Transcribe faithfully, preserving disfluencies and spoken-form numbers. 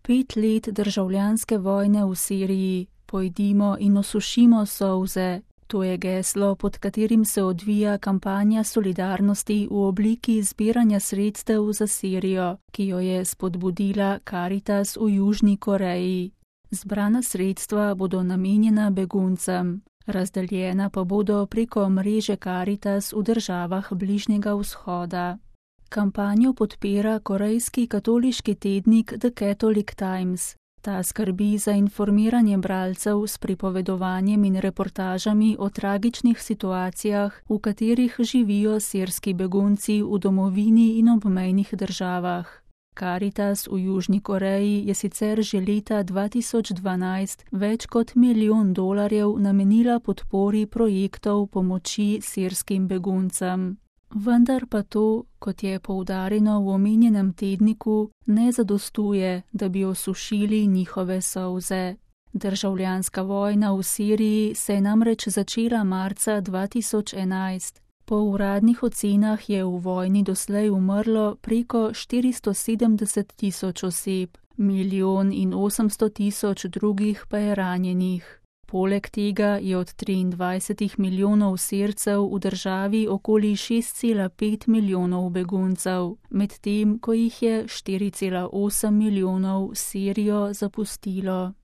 Pet let državljanske vojne v Siriji, pojdimo in osušimo solze. To je geslo, pod katerim se odvija kampanja solidarnosti v obliki zbiranja sredstev za Sirijo, ki jo je spodbudila Karitas v Južni Koreji. Zbrana sredstva bodo namenjena beguncem, razdeljena pa bodo preko mreže Karitas v državah Bližnjega vzhoda. Kampanjo podpira korejski katoliški tednik The Catholic Times. Ta skrbi za informiranje bralcev s pripovedovanjem in reportažami o tragičnih situacijah, v katerih živijo sirski begunci v domovini in obmejnih državah. Karitas v Južni Koreji je sicer že leta dva tisoč dvanajst več kot milijon dolarjev namenila podpori projektov pomoči sirskim beguncem. Vendar pa to, kot je poudarjeno v omenjenem tedniku, ne zadostuje, da bi osušili njihove solze. Državljanska vojna v Siriji se je namreč začela marca dva tisoč enajst. Po uradnih ocenah je v vojni doslej umrlo preko štiristo sedemdeset tisoč oseb, milijon in osemsto tisoč drugih pa je ranjenih. Poleg tega je od triindvajsetih milijonov Sircev v državi okoli šest cela pet milijonov beguncev, medtem ko jih je štiri cela osem milijonov Sirijo zapustilo.